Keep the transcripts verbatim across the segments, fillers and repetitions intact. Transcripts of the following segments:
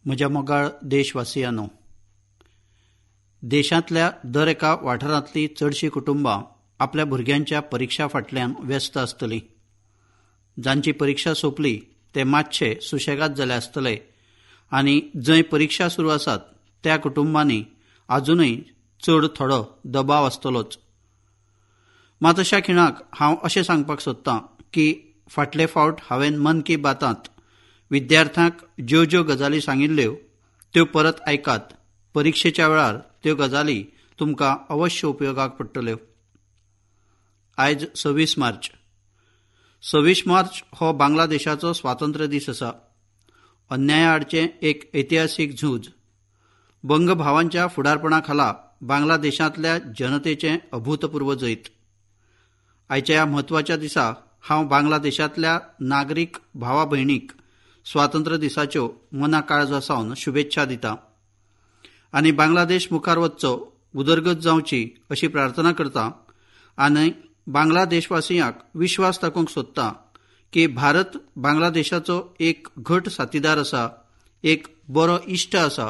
म्हज्या मोगाळ देशवासियांनो, देशांतल्या दर एका वाठारांतली चडशीं कुटुंबां आपल्या भुरग्यांच्या परिक्षा फाटल्यान व्यस्त आसतलीं. जांची परिक्षा सोंपली ते मातशे सुशेगाद जाले आसतले आनी जंय परिक्षा सुरू आसात त्या कुटुंबांनी आजुनूय चड थोडो दबाव आसतलोच. मात अशा खिणाक हांव अशें सांगपाक सोदतां की फाटले फावट हांवें मन की बातांत विद्यार्थ्यांक ज्यो ज्यो गजाली सांगिल्ल्यो त्यो परत आयकात. परिक्षेच्या वेळार त्यो गजाली तुमकां अवश्य उपयोगाक पडटल्यो. आयज सव्वीस मार्च. सव्वीस मार्च हो बांगलादेशाचो स्वातंत्र्य दीस आसा. अन्याया आडचें एक ऐतिहासीक झूज. बंगभावांच्या फुडारपणा खाला बांगलादेशांतल्या जनतेचें अभूतपूर्व जैत. आयच्या ह्या म्हत्वाच्या दिसा हांव बांगलादेशांतल्या नागरीक भावा भयणीक स्वातंत्र्य दिसाच्यो मना काळजा सावन शुभेच्छा दिता आनी बांगलादेश मुखार वचचो, उदरगत जावची अशी प्रार्थना करता आनी बांगलादेशवासियांक विश्वास दाखोवंक सोदता की भारत बांगलादेशाचो एक घट साथीदार आसा, एक बरो इश्ट आसा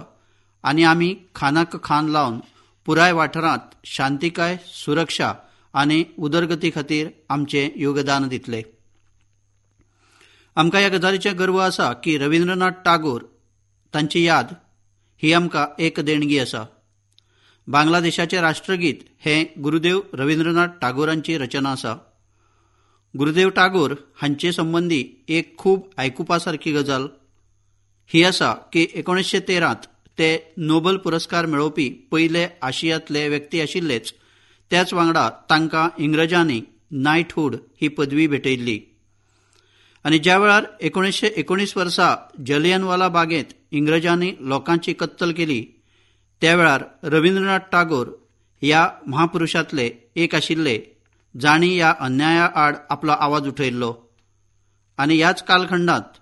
आनी आमी खानाक खान लावन पुराय वाठारांत शांतिकाय, सुरक्षा आनी उदरगती खातीर आमचें योगदान दितले. आमकां ह्या गजालीचें गर्व आसा की रवींद्रनाथ टागोर तांची याद ही आमकां एक देणगी आसा. बांगलादेशाचें राष्ट्रगीत हें गुरुदेव रवींद्रनाथ टागोरांची रचना आसा. गुरुदेव टागोर हांचे संबंदी एक खूब आयकुपा सारकी गजाल ही आसा की एकोणीसशे तेरांत ते नोबल पुरस्कार मेळोवपी पयले आशियांतले व्यक्ती आशिल्लेच, त्याच वांगडा तांकां इंग्रजांनी नायटहूड ही पदवी भेटयल्ली. आनी ज्या वेळार एकोणीसशे एकोणीस वर्सा जलियनवाला बागेंत इंग्रजांनी लोकांची कत्तल केली त्या वेळार रवींद्रनाथ टागोर ह्या महापुरुषांतले एक आशिल्ले जांणी ह्या अन्याया आड आपलो आवाज उठयल्लो. आनी ह्याच कालखंडांत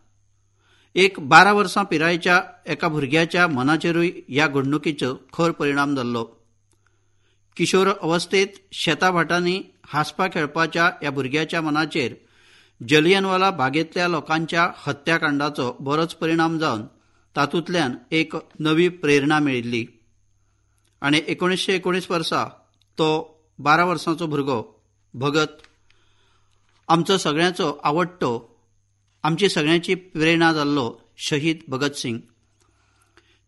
एक बारा वर्सां पिरायेच्या एका भुरग्याच्या मनाचेरूय ह्या घडणुकीचो खर परिणाम जाल्लो. किशोर अवस्थेत शेता भाटांनी हांसपा खेळपाच्या ह्या भुरग्याच्या मनाचेर जलियनवाला बागेंतल्या लोकांच्या हत्याकांडाचो बरोच परिणाम जावन तातूंतल्यान एक नवी प्रेरणा मेळिल्ली. आनी एकोणीसशे एकोणीस वर्सा तो बारा वर्सांचो भुरगो भगत आमचो सगळ्यांचो आवडटो, आमची सगळ्यांची प्रेरणा जाल्लो शहीद भगत सिंग.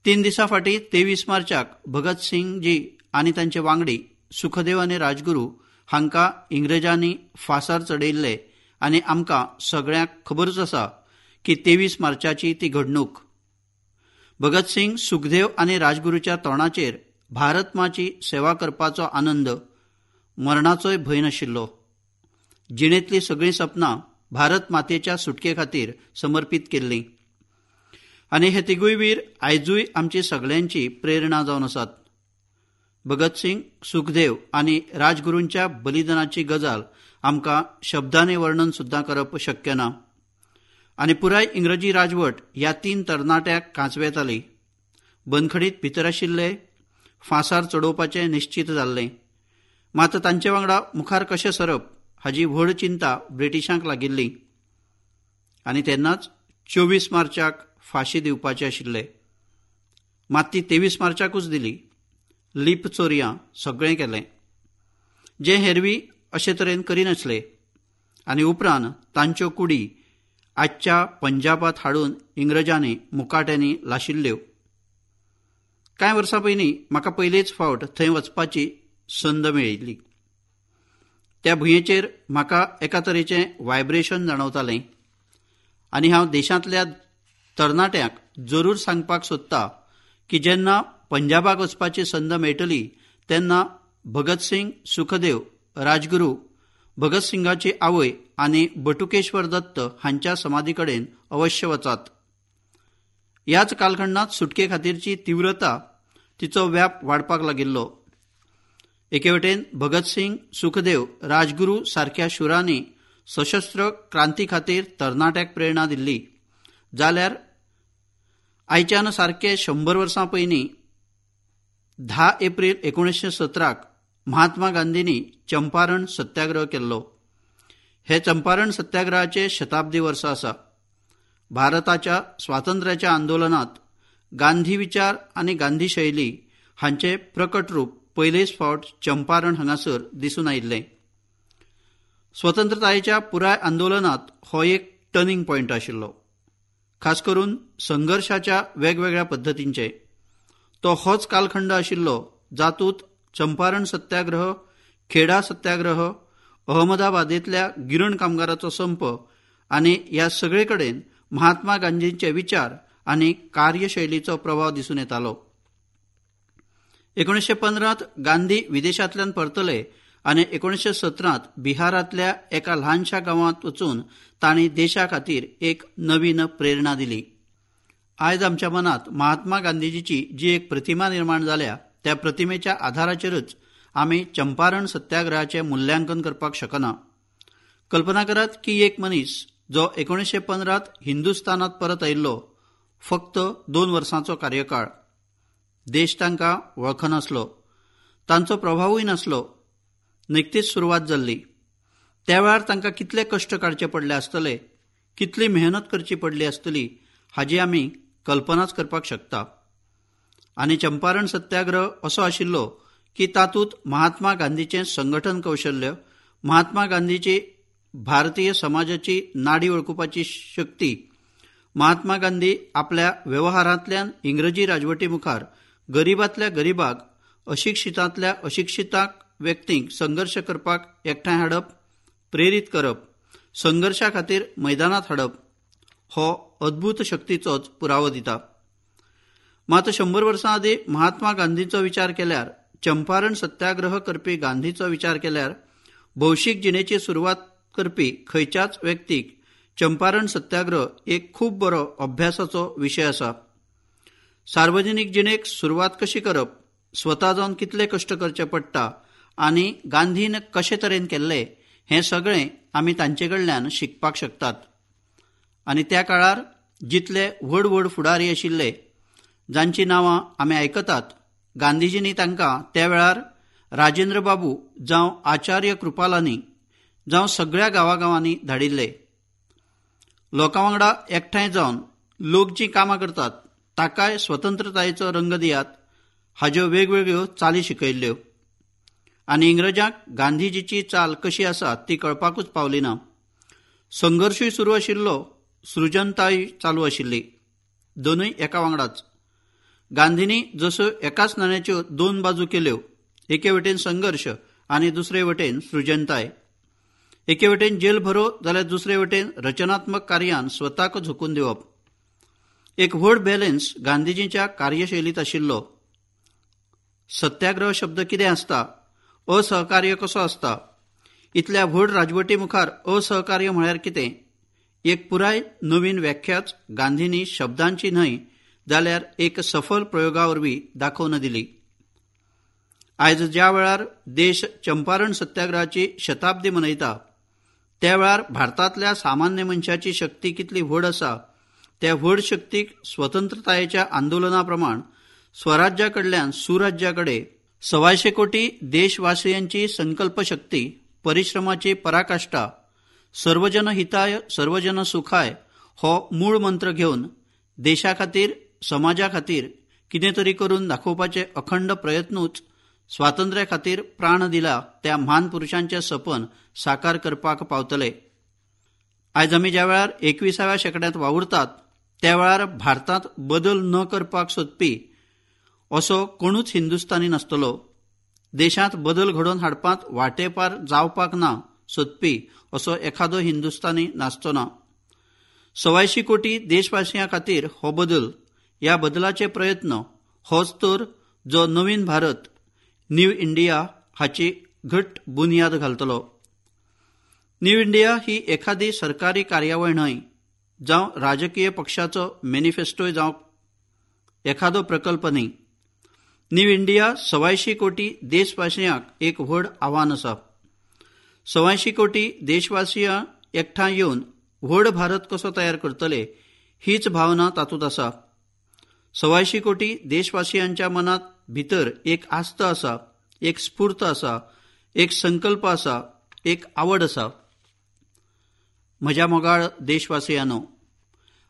तीन दिसां फाटीं तेवीस मार्चाक भगत सिंगजी आनी तांचे वांगडी सुखदेव आनी राजगुरू हांकां इंग्रजांनी फांसार चडयिल्ले आनी आमकां सगळ्यांक खबरूच आसा की तेवीस मार्चाची ती घडणूक. भगत सिंग, सुखदेव आनी राजगुरूच्या तोंडाचेर भारत माची सेवा करपाचो आनंद, मरणाचोय भंय नाशिल्लो. जिणेंतलीं सगळीं सपनां भारत मातेच्या सुटके खातीर समर्पीत केल्लीं आनी हे तिगूय वीर आयजूय आमची सगळ्यांची प्रेरणा जावन आसात. भगत सिंग, सुखदेव आनी राजगुरूंच्या बलिदानाची गजाल आमकां शब्दांनी वर्णन सुद्दां करप शक्य ना. आनी पुराय इंग्रजी राजवट ह्या तीन तरणाट्यांक कांचवेताली. बंदखडीत भितर आशिल्ले फांसार चडोवपाचें निश्चीत जाल्लें, मात तांचे वांगडा मुखार कशें सरप हाजी व्हड चिंता ब्रिटिशांक लागिल्ली आनी तेन्नाच चोवीस मार्चाक फांशी दिवपाचे आशिल्ले, मात ती तेवीस मार्चाकूच दिली. लीप चोरयां सगळें केलें जें हेरवी अशे तरेन करिनासले आनी उपरांत तांच्यो कुडी आजच्या पंजाबात हाडून इंग्रजांनी मुकाट्यांनी लाशिल्ल्यो. कांय वर्सां पयलीं म्हाका पयलेच फावट थंय वचपाची संद मेळिल्ली. त्या भुंयेचेर म्हाका एका तरेचें वायब्रेशन जाणवतालें आनी हांव देशांतल्या तरणाट्यांक जरूर सांगपाक सोदता की जेन्ना पंजाबाक वचपाची संद मेळटली तेन्ना भगत सिंग, सुखदेव, राजगुरू, भगत सिंगाची आवय आनी बटुकेश्वर दत्त हांच्या समाधी कडेन अवश्य वचात. ह्याच कालखंडांत सुटके खातीरची तीव्रता, तिचो व्याप वाडपाक लागिल्लो. एके वटेन भगत सिंग, सुखदेव, राजगुरू सारक्या शुरांनी सशस्त्र क्रांती खातीर तरणाट्याक प्रेरणा दिल्ली, जाल्यार आयच्यान सारके शंबर वर्सां पयलीं धा एप्रील एकोणीसशे सतराक महात्मा गांधींनी चंपारण सत्याग्रह केल्लो. हे चंपारण सत्याग्रहाचे शताब्दी वर्स आसा. भारताच्या स्वातंत्र्याच्या आंदोलनात गांधी विचार आनी गांधी शैली हांचे प्रकट रूप पयलेच फावट चंपारण हांगासर दिसून आयिल्लें. स्वतंत्रतायेच्या पुराय आंदोलनात हो एक टर्निंग पॉयंट आशिल्लो, खास करून संघर्शाच्या वेगवेगळ्या पद्दतींचे. तो होच कालखंड आशिल्लो जातूंत चंपारण सत्याग्रह, खेडा सत्याग्रह, अहमदाबादेंतल्या गिरण कामगाराचो संप आनी ह्या सगळे कडेन महात्मा गांधींचे विचार आनी कार्यशैलीचो प्रभाव दिसून येतालो. एकोणीसशे पंदरांत गांधी विदेशांतल्यान परतले आनी एकोणीसशे सतरांत बिहारांतल्या एका ल्हानशा गांवांत वचून तांणी देशा खातीर एक नवीन प्रेरणा दिली. आयज आमच्या मनांत महात्मा गांधीजीची जी एक प्रतिमा निर्माण जाल्या त्या प्रतिमेच्या आधाराचेरच आमी चंपारण सत्याग्रहाचें मुल्यांकन करपाक शकना. कल्पना करात की एक मनीस जो एकोणीसशे पंदरांत हिंदुस्थानांत परत आयिल्लो, फक्त दोन वर्सांचो कार्यकाळ, देश तांकां वळखनासलो, तांचो प्रभावूय नासलो, निकतीच सुरवात जाल्ली. त्या वेळार तांकां कितले कश्ट काडचे पडले आसतले, कितली मेहनत करची पडली आसतली हाजी आमी कल्पनाच करपाक शकता. आनी चंपारण सत्याग्रह असो आशिल्लो की तातूंत महात्मा गांधीचें संघटन कौशल्य, महात्मा गांधीची भारतीय समाजाची नाडी वळखुपाची शक्ती, महात्मा गांधी आपल्या वेव्हारांतल्यान इंग्रजी राजवटी मुखार गरिबांतल्या गरिबाक, अशिक्षितांतल्या अशिक्षिताक व्यक्तींक संघर्श करपाक एकठांय हाडप, प्रेरीत करप, संघर्शा खातीर मैदानांत हाडप हो अद्भूत शक्तीचोच पुरावो दिता. मात शंबर वर्सां आदीं महात्मा गांधीचो विचार केल्यार, चंपारण सत्याग्रह करपी गांधीचो विचार केल्यार, भौशीक जिणेची सुरवात करपी खंयच्याच व्यक्तीक चंपारण सत्याग्रह एक खूब बरो अभ्यासाचो विशय आसा. सार्वजनीक जिणेक सुरवात कशी करप, स्वता जावन कितले कश्ट करचे पडटा आनी गांधीन कशे तरेन केल्लें हें सगळें आमी तांचे कडल्यान शिकपाक शकतात. आनी त्या काळार जितले व्हड व्हड फुडारी आशिल्ले जांची नांवां आमी आयकतात, गांधीजींनी तांकां त्या वेळार राजेंद्र बाबू जावं आचार्य कृपालानी जावं सगळ्या गांवागांवांनी धाडिल्ले. लोकां वांगडा एकठांय जावन लोक जीं कामां करतात ताकाय स्वतंत्रतायेचो रंग दियात हाज्यो वेगवेगळ्यो चाली शिकयल्ल्यो. आनी इंग्रजांक गांधीजीची चाल कशी आसा ती कळपाकूच पावली ना. संघर्शूय सुरू आशिल्लो, सृजनताय चालू आशिल्ली, दोनूय एका वांगडाच. गांधींनी जश्यो एकाच नाण्याच्यो दोन बाजू केल्यो, एके वटेन संघर्श आनी दुसरे वटेन सृजनताय, एके वटेन जेल भरो जाल्यार दुसरे वटेन रचनात्मक कार्यान स्वताक झोकून दिवप. एक व्हड बॅलन्स गांधीजींच्या कार्यशैलींत आशिल्लो. सत्याग्रह शब्द कितें आसता, असहकार्य कसो आसता, इतल्या व्हड राजवटी मुखार असहकार्य म्हळ्यार कितें, एक पुराय नवीन व्याख्याच गांधींनी शब्दांची न्हय जाल्यार एक सफल प्रयोगा वरवीं दाखोवन दिली. आयज ज्या वेळार देश चंपारण सत्याग्रहाची शताब्दी मनयता त्या वेळार भारतांतल्या सामान्य मनशाची शक्ती कितली व्हड आसा, त्या व्हड शक्तीक स्वतंत्रतायेच्या आंदोलना प्रमाण स्वराज्या कडल्यान सुराज्या कडेन सवायशे कोटी देशवासियांची संकल्पशक्ती, परिश्रमाची पराकाष्ठा, सर्वजन हिताय सर्वजन सुखाय हो मूळ मंत्र घेवन देशा खातीर समाजा खातीर कितें तरी करून दाखोवपाचे अखंड प्रयत्नूच स्वातंत्र्या खातीर प्राण दिला त्या म्हान पुरुशांचें सपन साकार करपाक पावतले. आयज आमी ज्या वेळार एकविसाव्या शेंकड्यांत वावुरतात त्या वेळार भारतांत बदल न करपाक सोदपी असो कोणूच हिंदुस्थानी नासतलो. देशांत बदल घडोवन हाडपांत वाटेपार जावपाक ना सोदपी असो एखादो हिंदुस्थानी नासचो ना. सवायशी कोटी देशवासियां खातीर हो बदल, ह्या बदलाचे प्रयत्न होच तर जो नवीन भारत, न्यू इंडिया हाची घट बुन्याद घालतलो. न्यू इंडिया ही एखादी सरकारी कार्यावळ न्हय, जावं राजकीय पक्षाचो मॅनिफेस्टोय जावं एखादो प्रकल्प न्हय. न्यू इंडिया सवायशी कोटी देशवासियांक एक व्हड आव्हान आसा. सवायशी कोटी देशवासियां एकठांय येवन व्हड भारत कसो तयार करतले हीच भावना तातूंत आसा. सवायशी कोटी देशवासियांच्या मनांत भितर एक आस्त आसा, एक स्फूर्त आसा, एक संकल्प आसा, एक आवड आसा. म्हज्या मोगाळ देशवासियांनो,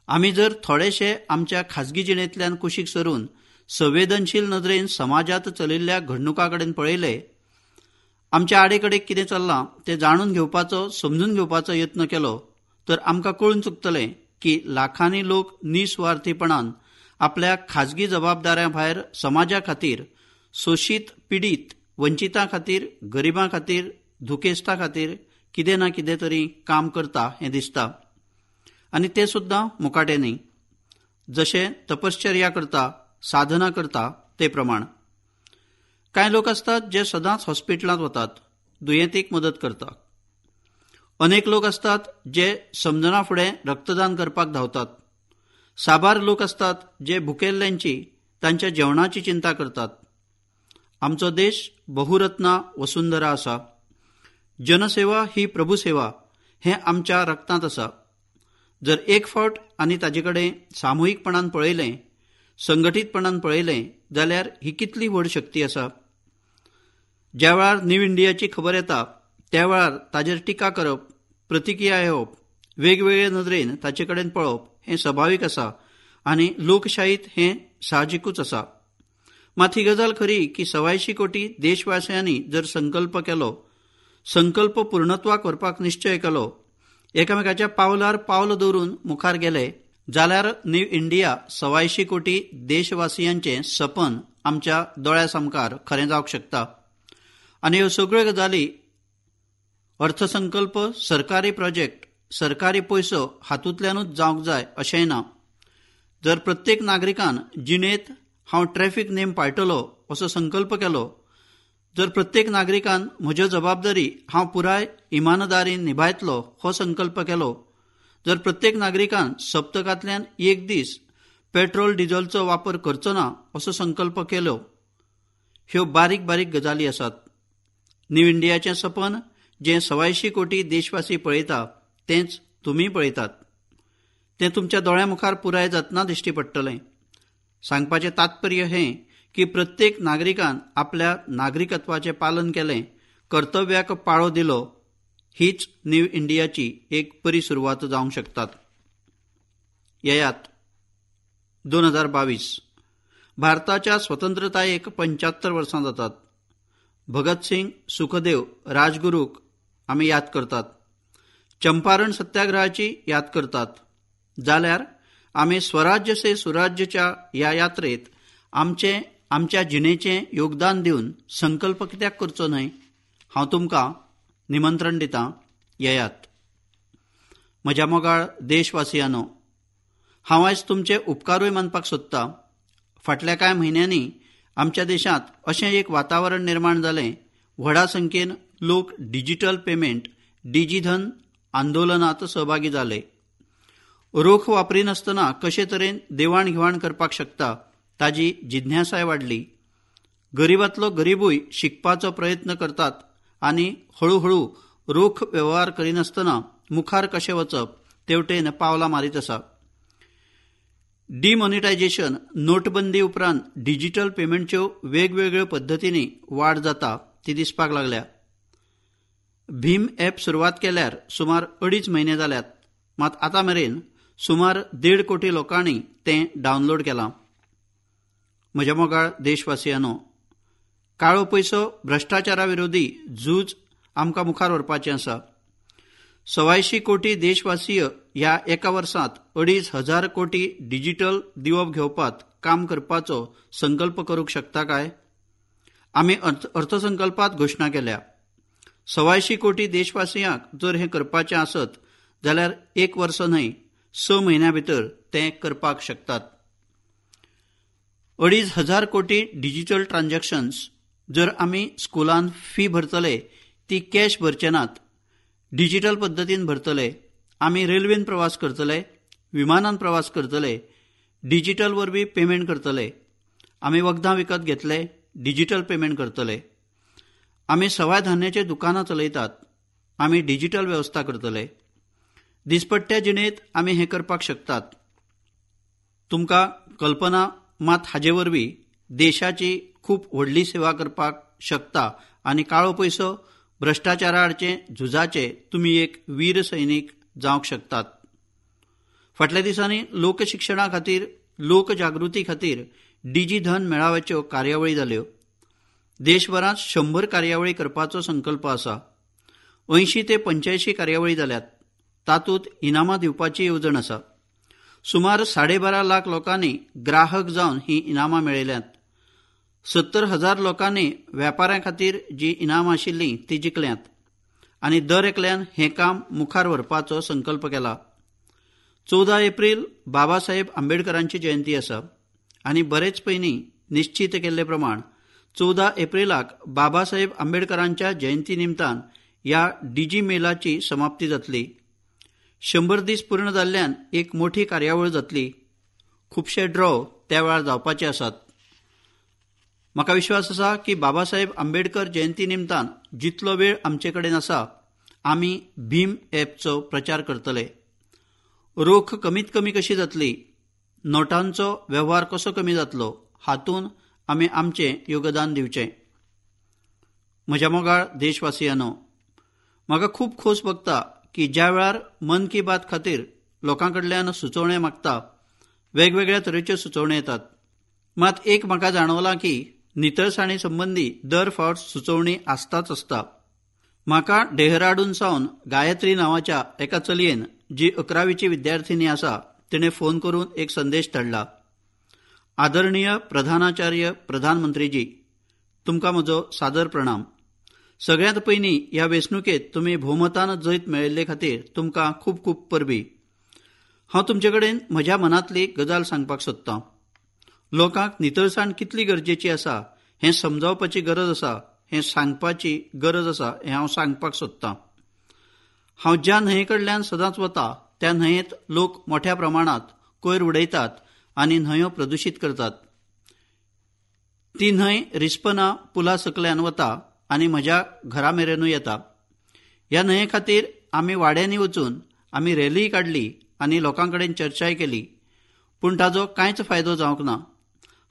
आमी जर थोडेशे आमच्या खाजगी जिणेंतल्यान कुशीक सरून संवेदनशील नदरेन समाजांत चलिल्ल्या घडणुकां कडेन पळयले, आमच्या आडेकडेक कितें चल्लां तें जाणून घेवपाचो, समजून घेवपाचो यत्न केलो तर आमकां कळून चुकतलें की लाखांनी लोक निस्वार्थीपणान आपल्या खाजगी जबाबदाऱ्यां भायर समाजा खातीर, शोशीत, पिडीत, वंचितां खातीर, गरिबां खातीर, दुखेस्तां खातीर कितें ना कितें तरी काम करता हें दिसता. आनी तें सुद्दां मुकाट्यांनी न्ही, जशें तपश्चर्या करता, साधना करता ते प्रमाण. कांय लोक आसतात जे सदांच हॉस्पिटलांत वतात, दुयेंतीक मदत करतात. अनेक लोक आसतात जे समजना फुडें रक्तदान करपाक धांवतात. साबार लोक आसतात जे भुकेल्ल्यांची, तांच्या जेवणाची चिंता करतात. आमचो देश बहुरत्ना वसुंधरा आसा. जनसेवा ही प्रभुसेवा हें आमच्या रक्तांत आसा. जर एक फावट आनी ताजे कडेन सामुहीकपणान पळयलें, संघटीतपणान पळयलें जाल्यार ही कितली व्हड शक्ती आसा. ज्या वेळार न्यू इंडियाची खबर येता त्या वेळार ताजेर टिका करप, प्रतिक्रिया येवप, वेगवेगळे नदरेन ताचे कडेन पळोवप हें सभावीक आसा आनी लोकशाहीत हें साहजिकूच आसा. मात ही गजाल खरी की सवायशी कोटी देशवासियांनी जर संकल्प केलो, संकल्प पूर्णत्वाक व्हरपाक निश्चय केलो, एकामेकाच्या पावलार पावल दवरून मुखार गेले जाल्यार न्यू इंडिया सवायशी कोटी देशवासियांचें सपन आमच्या दोळ्या सामकार खरें जावंक शकता. आनी ह्यो सगळ्यो गजाली अर्थसंकल्प, सरकारी प्रोजेक्ट, सरकारी पयसो हातूंतल्यानूच जावंक जाय अशेंय ना. जर प्रत्येक नागरिकान जिणेंत हांव ट्रॅफिक नेम पाळटलो असो संकल्प केलो, जर प्रत्येक नागरिकान म्हज्यो जबाबदारी हांव पुराय इमानदारीन निभायतलो हो संकल्प केलो, जर प्रत्येक नागरिकान सप्तकांतल्यान एक दीस पेट्रोल डिझलचो वापर करचो ना असो संकल्प केलो, ह्यो बारीक बारीक गजाली आसात. न्यू इंडियाचें सपन जें सवायशी कोटी देशवासी पळयता तेंच तुमी पळयतात. तें तुमच्या दोळ्यां मुखार पुराय जातना दिश्टी पडटलें. सांगपाचें तात्पर्य हें की प्रत्येक नागरिकान आपल्या नागरिकत्वाचें पालन केलें, कर्तव्याक पाळो दिलो, हीच न्यू इंडियाची एक बरी सुरवात जावंक शकतात. येयात दोन हजार बावीस भारताच्या स्वतंत्रतायेक पंच्यात्तर वर्सां जातात. भगतसिंग, सुखदेव, राजगुरूक आमी याद करतात, चंपारण सत्याग्रहाची याद करतात. जाल्यार आमी स्वराज्य से सुराज्यच्या ह्या यात्रेत आमचे आमच्या जिणेचें योगदान दिवन संकल्प कित्याक करचो न्हय? हांव तुमकां निमंत्रण दितां, येयात. म्हज्या मोगाळ देशवासियांनो, हांव आयज तुमचे उपकारूय मानपाक सोदतां. फाटल्या कांय म्हयन्यांनी आमच्या देशांत अशें एक वातावरण निर्माण जालें, व्हडा संख्येन लोक डिजिटल पेमेंट, डिजिधन आंदोलनांत सहभागी जाले. रोख वापरिनासतना कशे तरेन देवाण घेवाण करपाक शकता ताजी जिज्ञासाय वाडली. गरिबांतलो गरिबूय शिकपाचो प्रयत्न करतात आनी हळुहळू रोख वेव्हार करिनासतना मुखार कशें वचप तेवटेन पावलां मारीत आसा. डिमॉनिटायझेशन, नोटबंदी उपरांत डिजिटल पेमेंटच्यो वेगवेगळ्यो पद्दतींनी वाड जाता ती दिसपाक लागल्या. भीम ॲप सुरवात केल्यार सुमार अडीच म्हयने जाल्यात, मात आतां मेरेन सुमार देड कोटी लोकांनी तें डावनलोड केलां. म्हज्या मोगाळ देशवासियांनो, काळो पयसो, भ्रश्टाचारा विरोधी झूज आमकां मुखार व्हरपाचें आसा. सवायशी कोटी देशवासीय ह्या एका वर्सांत अडीच हजार कोटी डिजिटल दिवप घेवपात काम करपाचो संकल्प करूंक शकता काय? आमी अर्थ अर्थसंकल्पात घोशणा केल्या. सवायशी कोटी देशवासियांक जर हें करपाचें आसत जाल्यार एक वर्स न्हय, स म्हयन्या भितर तें करपाक शकतात. अडीच हजार कोटी डिजिटल ट्रान्झॅक्शन्स जर आमी स्कुलान फी भरतले ती कॅश भरचे नात, डिजिटल पद्दतीन भरतले. आमी रेल्वेन प्रवास करतले, विमानान प्रवास करतले, डिजिटल वरवीं पेमेंट करतले. आमी वखदां विकत घेतले, डिजिटल पेमेंट करतले. आमी सवाय धान्याचे दुकानां चलयतात, आमी डिजिटल वेवस्था करतले. दिसपट्ट्या जिणेंत आमी हें करपाक शकतात. तुमकां कल्पना मात हाजे वरवीं देशाची खूब व्हडली सेवा करपाक शकता आनी काळो पयसो, भ्रश्टाचारा आडचे झुजाचे तुमी एक वीर सैनीक जावंक शकतात. फाटल्या दिसांनी लोकशिक्षणा खातीर, लोकजागृती खातीर डिजी धन मेळाव्याच्यो कार्यावळी जाल्यो. देशभरांत शंबर कार्यावळी करपाचो संकल्प आसा. अंयशीं ते पंच्यायशीं कार्यावळी जाल्यात. तातूंत इनामां दिवपाची येवजण आसा. सुमार साडेबारा लाख लोकांनी ग्राहक जावन ही इनामां मेळयल्यांत. सत्तर हजार लोकांनी वेपाऱ्यां खातीर जी इनामां आशिल्लीं ती जिखल्यांत आनी दर एकल्यान हें काम मुखार व्हरपाचो संकल्प केला. चवदा एप्रील बाबासाहेब आंबेडकरांची जयंती आसा आनी बरेच पयलीं निश्चीत केल्ले प्रमाण चवदा एप्रिलाक बाबासाहेब आंबेडकरांच्या जयंती निमतान ह्या डिजी मेलाची समाप्ती जातली. शंबर दीस पूर्ण जाल्ल्यान एक मोठी कार्यावळ जातली. खुबशे ड्रॉ त्या वेळार जावपाचे आसात. म्हाका विश्वास आसा की बाबासाहेब आंबेडकर जयंती निमतान जितलो वेळ आमचे कडेन आसा आमी भीम ॲपचो प्रचार करतले. रोख कमीत कमी कशी जातली, नोटांचो वेव्हार कसो कमी जातलो हातूंत आमी आमचें योगदान दिवचें. म्हज्या मोगाळ देशवासियांनो, म्हाका खूब खोस भोगता की ज्या वेळार मन की बात खातीर लोकां कडल्यान सुचोवण्यो मागता, वेगवेगळ्या तरेच्यो सुचोवण्यो येतात. मात एक म्हाका जाणवलां की नितळसाणी संबंदी दर फावट सुचोवणी आसताच आसता. म्हाका डेहराडून सावन गायत्री नांवाच्या एका चलयेन, जी अकरावीची विद्यार्थिनी आसा, तिणें फोन करून एक संदेश धाडला. आदरणीय प्रधानाचार्य प्रधानमंत्रीजी, तुमकां म्हजो सादर प्रणाम. सगळ्यांत पयलीं ह्या वेंचणुकेंत तुमी भोवमतान जैत मेळयल्ले खातीर तुमकां खूब खूब परबीं. हांव तुमचे कडेन म्हज्या मनांतली गजाल सांगपाक सोदतां. लोकांक नितळसाण कितली गरजेची आसा हें समजावपाची गरज आसा, हें सांगपाची गरज आसा हें हांव सांगपाक सोदतां. हांव ज्या न्हंये कडल्यान सदांच वता त्या न्हंयेंत लोक मोठ्या प्रमाणांत कोयर उडयतात आनी न्हंयो प्रदुशीत करतात. ती न्हंय रिस्पना पुला सकल्यान वता आनी म्हज्या घरा मेरेनूय येता. ह्या न्हंये खातीर आमी वाड्यांनी वचून आमी रॅलीय काडली आनी लोकां कडेन चर्चाय केली, पूण ताजो कांयच फायदो जावंक ना.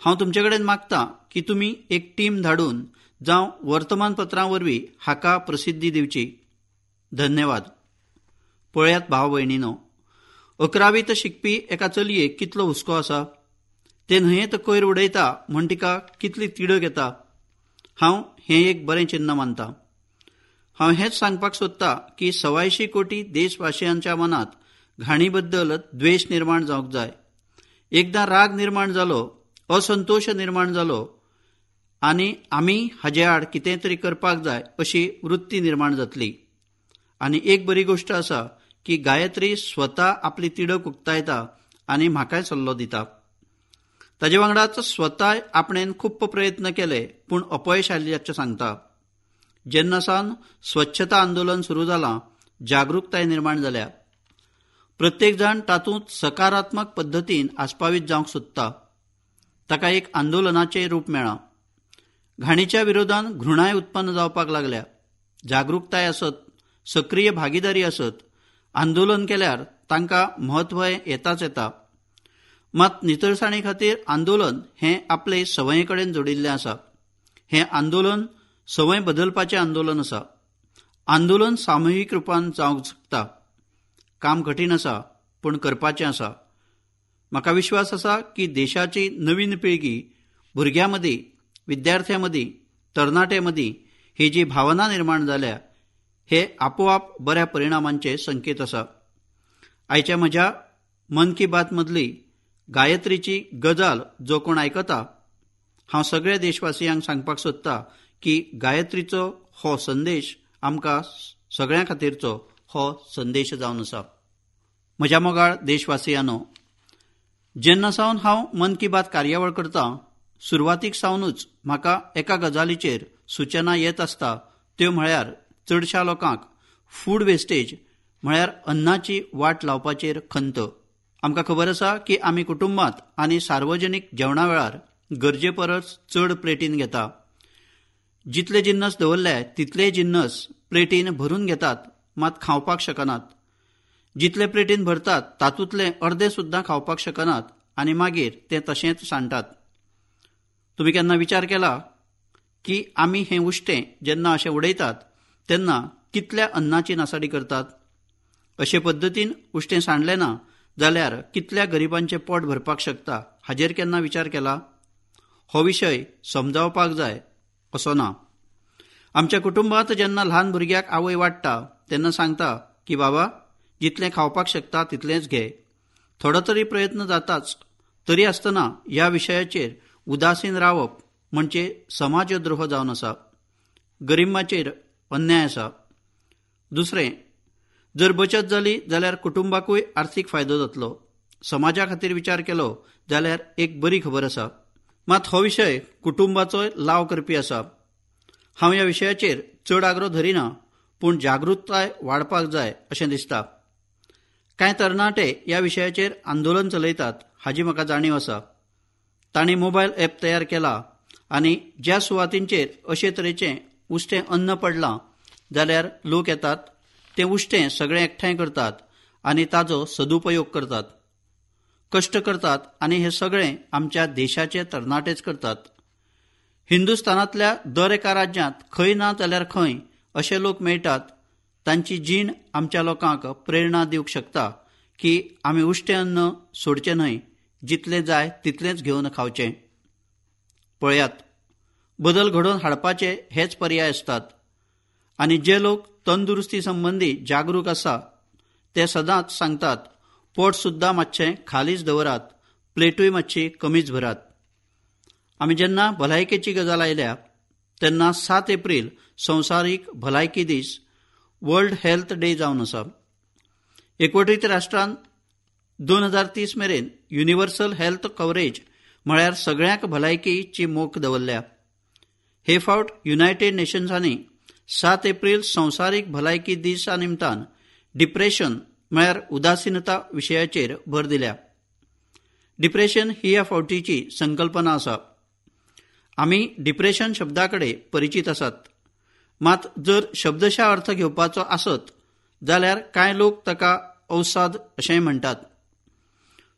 हांव तुमचे कडेन मागता की तुमी एक टीम धाडून जावं वर्तमानपत्रां वरवीं हाका प्रसिद्धी दिवची. धन्यवाद. पळयात भाव भयणीनो, अकरावीत शिकपी एका चलयेक कितलो हुस्को आसा. ते न्हंयेंत कोयर उडयता म्हूण तिका कितली तिडक येता. हांव हें एक बरें चिन्न मानता. हांव हेंच सांगपाक सोदता की सवायशीं कोटी देशवासियांच्या मनांत घाणी बद्दल द्वेश निर्माण जावंक जाय. एकदां राग निर्माण जालो, असंतोश निर्माण जालो आनी आमी हाजे आड कितें तरी करपाक जाय अशी वृत्ती निर्माण जातली. आनी एक बरी गोश्ट आसा की गायत्री स्वता आपली तिडक उक्तायता आनी म्हाकाय सल्लो दिता. ताजे वांगडाच स्वताय आपणेन खूब प्रयत्न केले पूण अपयश आयिल्ल्याचें सांगता. जेन्ना सावन स्वच्छता आंदोलन सुरू जालां, जागृकताय निर्माण जाल्या. प्रत्येक जाण तातूंत सकारात्मक पद्दतीन आस्पावीत जावंक सोदता. ताका एक आंदोलनाचें रूप मेळ्ळां. घाणीच्या विरोधान घृणाय उत्पन्न जावपाक लागल्या. जागृकताय आसत, सक्रीय भागीदारी आसत, आंदोलन केल्यार तांकां म्हत्व येताच येता. मात नितळसाणी खातीर आंदोलन हें आपले संवये कडेन जोडिल्लें आसा. हें आंदोलन संवय बदलपाचें आंदोलन आसा. आंदोलन सामुहीक रुपान जावंक शकता. काम कठीण आसा पूण करपाचें आसा. म्हाका विश्वास आसा की देशाची नवीन पिळगी भुरग्यां मदीं, विद्यार्थ्यां मदीं, तरणाट्यां मदीं ही जी भावना निर्माण जाल्या हे आपोआप बऱ्या परिणामांचे संकेत आसा. आयच्या म्हज्या मन की बात मदली गायत्रीची गजाल जो कोण आयकता, हांव सगळ्या देशवासियांक सांगपाक सोदता की गायत्रीचो हो संदेश आमकां सगळ्यां खातीरचो हो संदेश जावन आसा. म्हज्या मोगाळ देशवासियांनो, जेन्ना सावन हांव मन की बात कार्यावळ करतां, सुरवातीक सावनूच म्हाका एका गजालीचेर सुचना येत आसता, त्यो म्हळ्यार चडशा लोकांक फूड वेस्टेज म्हळ्यार अन्नाची वाट लावपाचेर खंत. आमकां खबर आसा की आमी कुटुंबांत आनी सार्वजनीक जेवणा वेळार गरजे परस चड प्लेटीन घेता. जितले जिन्नस दवरले तितले जिन्नस प्लेटीन भरून घेतात, मात खावपाक शकनात. जितले प्लेटीन भरतात तातूंतले अर्दे सुद्दां खावपाक शकनात आनी मागीर ते तशेंच सांडटात. तुमी केन्ना विचार केला की आमी हें उश्टें जेन्ना अशें उडयतात तेन्ना कितल्या अन्नाची नासाडी करतात? अशे पद्दतीन उश्टें सांडलें ना जाल्यार कितल्या गरिबांचें पोट भरपाक शकता हाजेर केन्ना विचार केला? हो विशय समजावपाक जाय असो ना. आमच्या कुटुंबांत जेन्ना ल्हान भुरग्याक आवय वाडटा तेन्ना सांगता की बाबा जितलें खावपाक शकता तितलेंच घे. थोडो तरी प्रयत्न जाताच. तरी आसतना ह्या विशयाचेर उदासीन रावप म्हणजे समाजद्रोह जावन आसा, गरिबांचेर अन्याय आसा. दुसरें, जर बचत जाली जाल्यार कुटुंबाकूय आर्थीक फायदो जातलो. समाजा खातीर विचार केलो जाल्यार एक बरी खबर आसा. मात हो विशय कुटुंबाचोय लाव करपी आसा. हांव ह्या विशयाचेर चड आग्रो धरिना, पूण जागृताय वाडपाक जाय अशें दिसता. कांय तरणाटे ह्या विशयाचेर आंदोलन चलयतात हाजी म्हाका जाणीव आसा. तांणी मोबायल ॲप तयार केला आनी ज्या सुवातींचेर अशे तरेचें उश्टें अन्न पडलां जाल्यार लोक येतात, तें उश्टें सगळें एकठांय करतात आनी ताजो सदुपयोग करतात, कश्ट करतात आनी हें सगळें आमच्या देशाचे तरणाटेच करतात. हिंदुस्थानांतल्या दर एका राज्यांत खंय ना जाल्यार खंय अशे लोक मेळटात. तांची जीण आमच्या लोकांक प्रेरणा दिवंक शकता की आमी उश्टें अन्न सोडचें न्हय, जितलें जाय तितलेंच घेवन खावचें. पळयात, बदल घडोवन हाडपाचे हेच पर्याय आसतात आनी जे लोक तंदुरुस्ती संबंदी जागरूक आसा ते सदांच सांगतात, पोट सुद्दां मातशें खालीच दवरात, प्लेटूय मातशी कमीच भरात. आमी जेन्ना भलायकेची गजाल आयल्या तेन्ना सात एप्रील संवसारीक भलायकी दीस, वर्ल्ड हेल्थ डे जावन आसा. एकवटीत राष्ट्रान दोन हजार तीस मेरेन युनिव्हर्सल हेल्थ कव्हरेज म्हळ्यार सगळ्यांक भलायकीची मोख दवरल्या. हे फावट युनायटेड नेशन्सांनी सात एप्रील संवसारीक भलायकी दिसा निमतान डिप्रेशन म्हळ्यार उदासीनता विशयाचेर भर दिल्या. डिप्रेशन ही ह्या फावटीची संकल्पना आसा. आमी डिप्रेशन शब्दा कडेन परिचीत आसात, मात जर शब्दशा अर्थ घेवपाचो आसत जाल्यार कांय लोक ताका अवसाद अशेंय म्हणटात.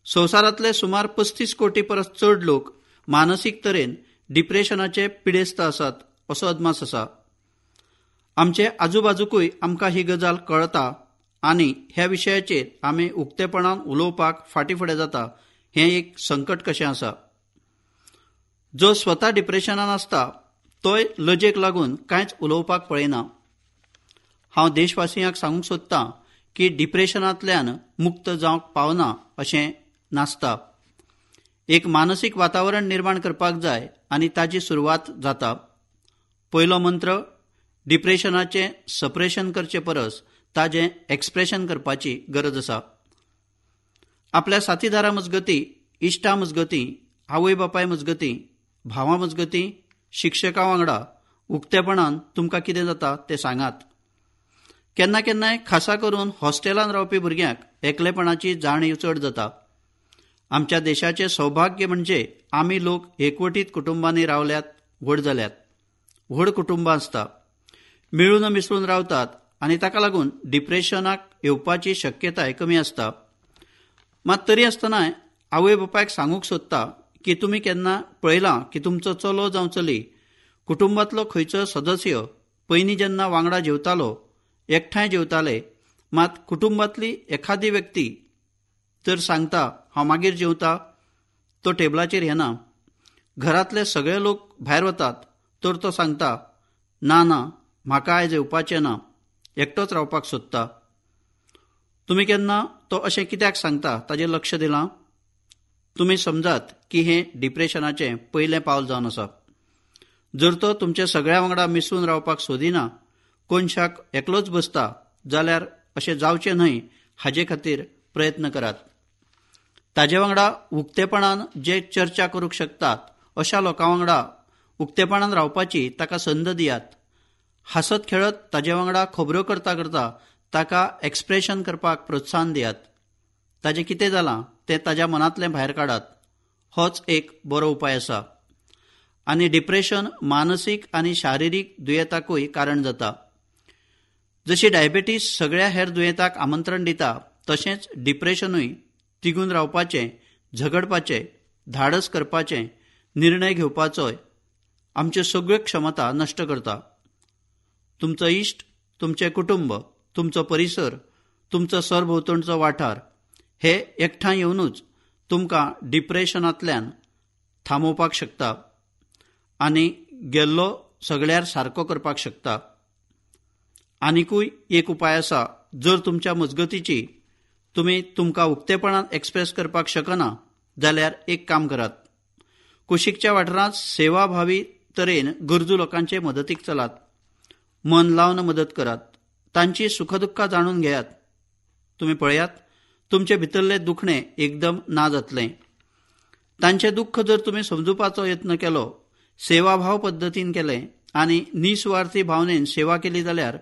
संवसारांतले सुमार पस्तीस कोटी परस चड लोक मानसीक तरेन डिप्रेशनाचे पिडेस्त आसात असो अदमास आसा. आमचे आजूबाजूकूय आमकां ही गजाल कळटा आनी ह्या विशयाचेर आमी उक्तेपणान उलोवपाक फाटीं फुडें जाता हें एक संकट कशें आसा. जो स्वता डिप्रेशनान आसता तोय लजेक लागून कांयच उलोवपाक पळयना. हांव देशवासियांक सांगूंक सोदतां की डिप्रेशनांतल्यान मुक्त जावंक पावना अशें नासता. एक मानसीक वातावरण निर्माण करपाक जाय आनी ताजी सुरवात जाता. पयलो मंत्र, डिप्रेशनाचें सप्रेशन करचे परस ताजें एक्सप्रेशन करपाची गरज आसा. आपल्या साथीदारा मजगतीं, इश्टा मजगतीं, आवय बापाय मजगतीं, भावां मजगतीं, शिक्षकां वांगडा उक्तेपणान तुमकां कितें जाता तें सांगात. केन्ना केन्नाय खासा करून हॉस्टेलान रावपी भुरग्यांक एकलेपणाची जाणीव चड जाता. आमच्या देशाचें सौभाग्य म्हणजे आमी लोक एकवटीत कुटुंबांनी रावल्यात, व्हड जाल्यात. व्हड कुटुंबां आसता, मेळून मिसळून रावतात आनी ताका लागून डिप्रेशनाक येवपाची शक्यताय कमी आसता. मात तरी आसतनाय आवय बापायक सांगूंक सोदता की तुमी केन्ना पळयलां की तुमचो चलो जावं चली, कुटुंबांतलो खंयचो सदस्य पयलीं जेन्ना वांगडा जेवतालो, एकठांय जेवताले, मात कुटुंबांतली एखादी व्यक्ती जर सांगता हांव मागीर जेवता, तो टेबलाचेर येना. घरांतले सगळे लोक भायर वतात तर तो सांगता ना ना म्हाका आयज येवपाचें ना, एकटोच रावपाक सोदता. तुमी केन्ना तो अशें कित्याक सांगता ताजेर लक्ष दिलां? तुमी समजात की हें डिप्रेशनाचें पयलें पावल जावन आसा. जर तो तुमच्या सगळ्या वांगडा मिसळून रावपाक सोदिना, कोनशाक एकलोच बसता जाल्यार अशें जावचें न्हय हाजे खातीर प्रयत्न करात. ताजे वांगडा उक्तेपणान जे चर्चा करूंक शकतात अशा लोकां वांगडा उक्तेपणान रावपाची ताका संद दियात. हांसत खेळत ताजे वांगडा खबरो करता करता ताका एक्सप्रेशन करपाक प्रोत्साहन दियात. ताजें कितें जालां तें ताज्या मनांतलें भायर काडात. होच एक बरो उपाय आसा. आनी डिप्रेशन मानसीक आनी शारिरीक दुयेंताकूय कारण जाता. जशी डायबेटीस सगळ्या हेर दुयेंताक आमंत्रण दिता तशेंच डिप्रेशनूय तिगून रावपाचें, झगडपाचें, धाडस करपाचें, निर्णय घेवपाचोय आमच्यो सगळ्यो क्षमता नश्ट करता. तुमचो इश्ट, तुमचें कुटुंब, तुमचो परिसर, तुमचो सरभोंवतणचो वाठार हे एकठांय येवनूच तुमकां डिप्रेशनांतल्यान थांबोवपाक शकता आनी गेल्लो सगळ्यार सारको करपाक शकता. आनिकूय एक उपाय आसा, जर तुमच्या मजगतीची तुमी तुमकां उक्तेपणान एक्सप्रेस करपाक शकना जाल्यार एक काम करात, कुशीकच्या वाठारांत सेवाभावी तरेन गरजू लोकांचे मदतीक चलात, मन लावन मदत करात, तांची सुखदुख्खां जाणून घेयात. तुमी पळयात तुमचे भितरलें दुखणें एकदम ना जातलें. तांचें दुख्ख जर तुमी समजुपाचो यत्न केलो, सेवाभाव पद्दतीन केलें आनी निस्वार्थी भावनेन सेवा केली जाल्यार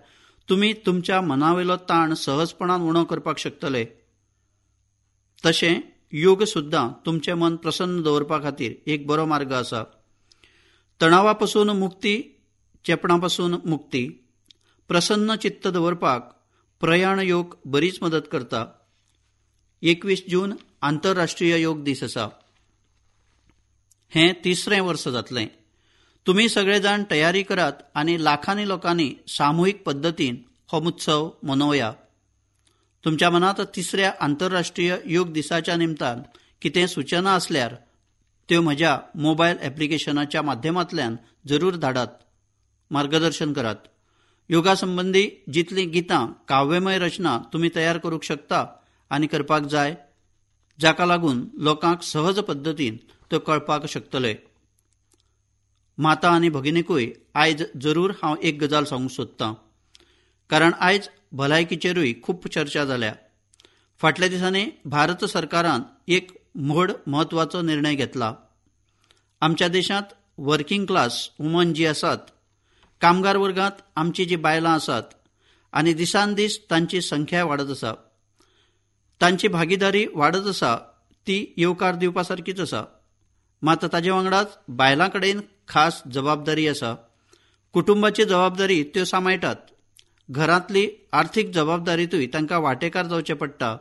तुमी तुमच्या मनावेलो ताण सहजपणान उणो करपाक शकतले. तशें योग सुद्दां तुमचें मन प्रसन्न दवरपा खातीर एक बरो मार्ग आसा. तणावा पसून मुक्ती, चेपणा पसून मुक्ती, प्रसन्न चित्त दवरपाक प्रयाण योग बरीच मदत करता. एकवीस जून आंतरराष्ट्रीय योग दीस आसा. हें तिसरें वर्स जातलें. तुमी सगळे जाण तयारी करात आनी लाखांनी लोकांनी सामुहीक पद्दतीन हो उत्सव मनोवया. तुमच्या मनांत तिसऱ्या आंतरराष्ट्रीय योग दिसाच्या निमतान कितें सूचना आसल्यार त्यो म्हज्या मोबायल एप्लिकेशनाच्या माध्यमांतल्यान जरूर धाडात, मार्गदर्शन करात. योगा संबंदी जितलीं गितां, काव्यमय रचना तुमी तयार करूंक शकता आनी करपाक जाय, जाका लागून लोकांक सहज पद्दतीन त्यो कळपाक शकतले. माता आनी भगिनीकूय आयज जरूर हांव एक गजाल सांगूंक सोदतां, कारण आयज भलायकीचेरूय खूब चर्चा जाल्या. फाटल्या दिसांनी भारत सरकारान एक व्हड म्हत्वाचो निर्णय घेतला. आमच्या देशांत वर्किंग क्लास वुमन जी आसात, कामगार वर्गांत आमची जी बायलां आसात आनी दिसान दीस तांची संख्या वाडत आसा, तांची भागीदारी वाडत आसा, ती येवकार दिवपा सारकीच आसा. मात ताजे वांगडाच बायलां कडेन खास जबाबदारी आसा. कुटुंबाची जबाबदारी त्यो सांबाळटात, घरांतली आर्थीक जबाबदारीतूय तांकां वांटेकार जावचें पडटा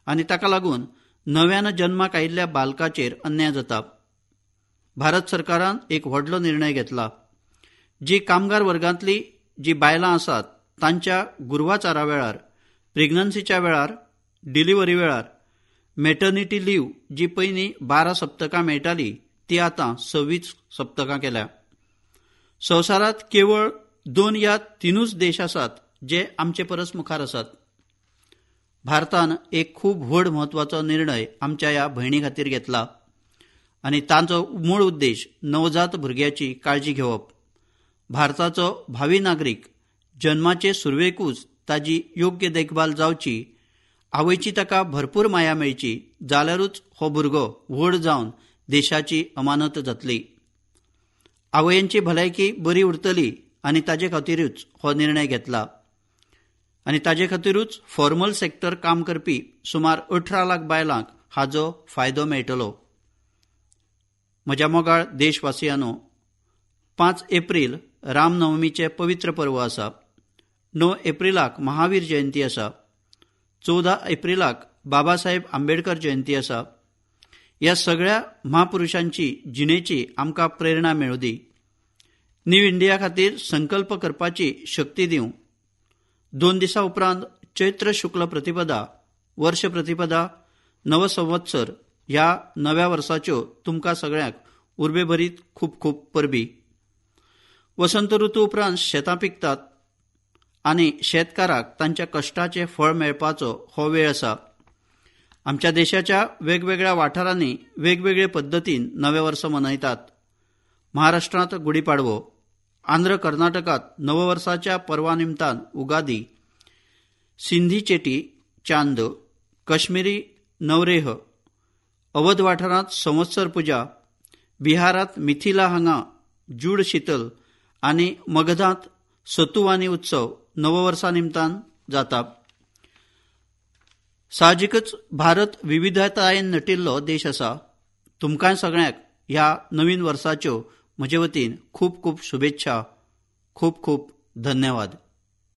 आनी ताका लागून नव्यान जन्माक आयिल्ल्या बालकाचेर अन्याय जाता. भारत सरकारान एक व्हडलो निर्णय घेतला. जी कामगार वर्गांतली जी बायलां आसात तांच्या गुरवाचारा वेळार, प्रेग्नन्सीच्या वेळार, डिलिव्हरी वेळार मेटर्निटी लीव जी पयलीं बारा सप्तकां मेळटाली ती आतां सव्वीस सप्तकां केल्या. संवसारांत केवळ दोन या तिनूच देश आसात जे आमचे परस मुखार आसात. भारतान एक खूब व्हड म्हत्वाचो निर्णय आमच्या ह्या भयणी खातीर घेतला आनी तांचो मूळ उद्देश नवजात भुरग्याची काळजी घेवप. भारताचो भावी नागरीक जन्माचे सुरवेकूच ताजी योग्य देखभाल जावची, आवयची ताका भरपूर माया मेळची जाल्यारूच हो भुरगो व्हड जावन देशाची अमानत जातली. आवयांची भलायकी बरी उरतली आनी ताजे खातीरूच हो निर्णय घेतला आनी ताजे खातीरूच फॉर्मल सेक्टर काम करपी सुमार अठरा लाख बायलांक हाजो फायदो मेळटलो. म्हज्या मोगाळ देशवासियांनो, पांच एप्रील रामनवमीचें पवित्र पर्व आसा. णव एप्रिलाक महावीर जयंती आसा. चवदा एप्रिलाक बाबासाहेब आंबेडकर जयंती आसा. ह्या सगळ्या म्हापुरुशांची जिणेची आमकां प्रेरणा मेळूं दी. न्यू इंडिया खातीर संकल्प करपाची शक्ती दिवं. दोन दिसां उपरांत चैत्र शुक्ल प्रतिपदा, वर्ष प्रतिपदा, नवसंवत्सर ह्या नव्या वर्साच्यो तुमकां सगळ्यांक उर्बेभरीत खूब खूब परबी. वसंत ऋतू उपरांत शेतां पिकतात आनी शेतकाराक तांच्या कश्टाचें फळ मेळपाचो हो वेळ आसा. आमच्या देशाच्या वेगवेगळ्या वाठारांनी वेगवेगळे पद्दतीन नवें वर्स मनयतात. महाराष्ट्रांत गुढीपाडवो, आंध्र कर्नाटकांत नववर्साच्या पर्वा निमतान उगादी, सिंधी चेटी चांद, कश्मीरी नवरेह, अवध वाठारांत संवत्सर पुजा, बिहारांत मिथिला हांगा जूड शीतल आनी मगधांत सतुवानी उत्सव नववर्सा निमतान जाता. साहजिकच भारत विविधतायेन नटिल्लो देश आसा. तुमकां सगळ्यांक ह्या नवीन वर्साच्यो म्हजे वतीन खूब खूब शुभेच्छा. खूब खूब धन्यवाद.